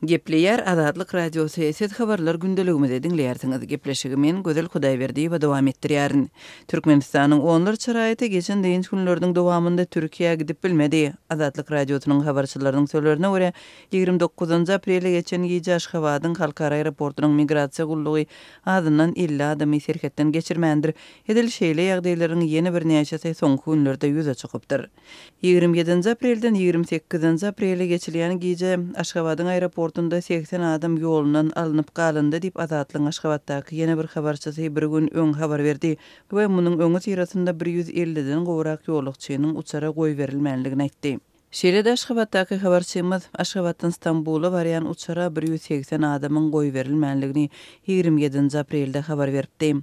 Gepleýär Azatlyk Radiosy, Siz habarlar gündeligimizi diňleýärsiňiz. Gepleşigi men, Gözel Hudaýberdiýewa dowam etdirýärin. Türkmenistanyň onlarça raýaty geçen dynç günleriniň dowamynda Türkiýä gidip bilmedi. Azatlyk Radiosynyň habarçylarynyň sözlerine görä, 29 aprelde geçen gije Aşgabadyň halkara aeroportunyň migrasiýa gullugy azyndan 50 adamy serhetden geçirmändir. Edil şeýle ýagdaýlaryň ýene birnäçesi soňky günlerde ýüze çykypdyr. 27-nji aprelden 28-nji aprele geçilýän gije Aşgabadyň aeroportunda 80 adam ýolundan alnyp galyndy diýip, Azatlygyň Aşgabatdaky ýene bir habarçysy bir gün öň habar berdi we munuň öňüsyrasynda bir ýüz elliden gowrak ýolagçynyň uçara goýberilmänligini aýtdy. Şeýle-de Aşgabatdaky habarçymyz Aşgabatdan Stambula barýan uçara 180 adamyň goýberilmänligini 27-nji aprelde habar beripdi.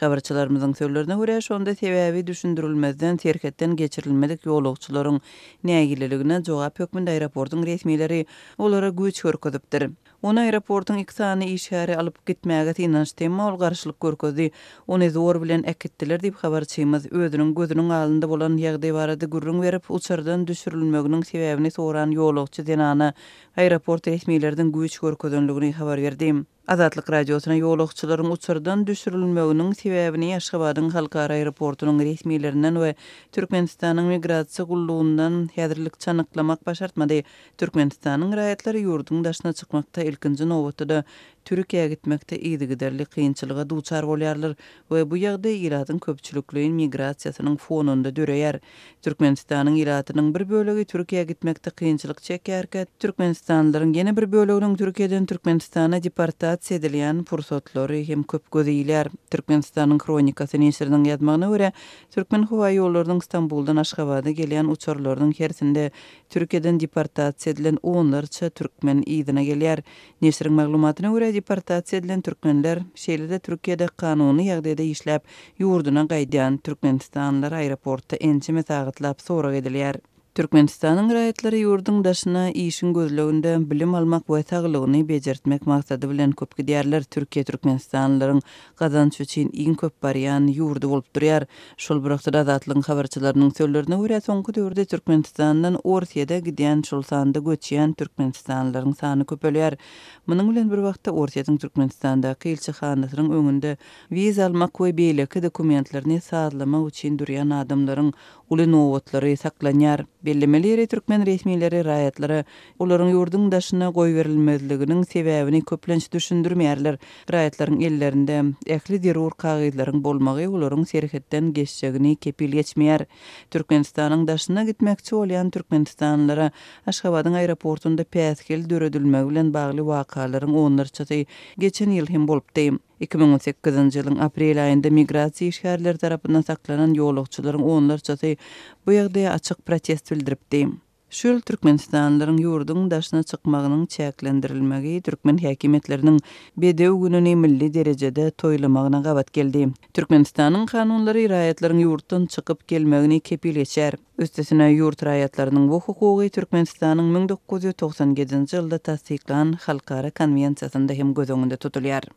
Habarçylarymyzyň sözlerine görä, şonda sebäbi düşündirilmezden serhetden geçirilmedik ýolagçylaryň nägileligine jogap hökmünde aeroportuň resmileri olara güýç görkezipdir. Ony aeroportuň iki sany işgäri alyp gitmäge synanyşdy, emma ol garşylyk görkezdi. Ony zor bilen äkitdiler diýip, habarçymyz özüniň gözüniň alynda bolan ýagdaý barada gürrüň berip, uçardan düşürilmeginiň sebäbini soran ýolagçy zenana aeroport resmileriniň güýç görkezenligini habar berdi. Azatlyk Radiosyna ýolagçylaryň uçardan düşürilmeginiň sebäbini Aşgabadyň halkara aeroportunyň resmilerinden we Türkmenistanyň Migrasiýa gullugyndan häzirlikçe anyklamak başartmady. Türkmenistanyň raýatlary ýurduň daşyna çykmakda, ilkinji nobatda-da, Türkiýä gitmekde yzygiderli kynçylyga duçar bolýarlar we bu ýagdaý ilatyň köpçülikleýin migrasiýasynyň fonunda döreýär. Türkmenistanyň ilatynyň bir bölegi Türkiýä gitmekde kynçylyk çekýärkä, türkmenistanlylaryň ýene bir böleginiň Türkiýeden Türkmenistana deportasiýa edilýän pursatlary hem köp göze ilýär. Türkmenistanyň Hronikasy neşiriniň ýazmagyna görä, Türkmenhowaýollarynyň Stambuldan Aşgabada gelýän uçarlarynyň hersinde Türkiýeden deportasiýa edilen onlarça türkmen yzyna gelýär. Neşiriň maglumatyna görä, deportasiýa edilen türkmenler, şeýle-de Türkiýede kanuny ýagdaýda işläp, ýurduna gaýdýan türkmenistanlylar aeroportda ençeme sagatlap sorag edilýär. Türkmenistanyň raýatlary ýurduň daşyna işiň gözleginde, bilim almak we saglygyny bejertmek maksady bilen köp gidýärler. Türkiýe türkmenistanlylaryň gazanç üçin iň köp barýan ýurdy bolup durýar. Şol bir wagtda-da Azatlygyň habarçylarynyň sözlerine görä, soňky döwürde Türkmenistandan Orsýede gidýän, şol sanda göçýän türkmenistanlylaryň sany köpelýär. Munuň bilen bir wagtda Orsýetiň Türkmenistandaky ilçihanasynyň öňünde wiza almak we beýleki dokumentlerini sazlamak üçin durýan adamlaryň uly nobatlary saklanýar. Bellemeli ýeri, türkmen resmileri raýatlara olaryň ýurduň daşyna goýberilmezliginiň sebäbini köplenç düşündirmeýärler. Raýatlaryň ellerinde ähli zerur kagyzlaryň bolmagy olaryň serhetden geçjegini kepil geçmeýär. Türkmenistanyň daşyna gitmekçi bolýan türkmenistanlylara Aşgabadyň aeroportunda päsgel döredilmegi bilen bagly wakalaryň onlarçasy geçen ýyl hem bolupdy. 2018-nji ýylyň aprel aýynda migrasiýa işgärleri tarapyndan saklanan ýolagçylaryň onlarçasy bu ýagdaýa açyk protest bildiripdi. Şu ýyl türkmenistanlylaryň ýurduň daşyna çykmagynyň çäklendirilmegi türkmen häkimiýetleriniň Bedew gününi milli derejede toýlamagyna gabat geldi. Türkmenistanyň kanunlary raýatlaryň ýurtdan çykyp gelmegini kepil geçýär. Üstesine, ýurt raýatlarynyň bu hukugy Türkmenistanyň 1997-nji ýylda tassyklan Halkara konwensiýasynda hem göz öňünde tutulýar.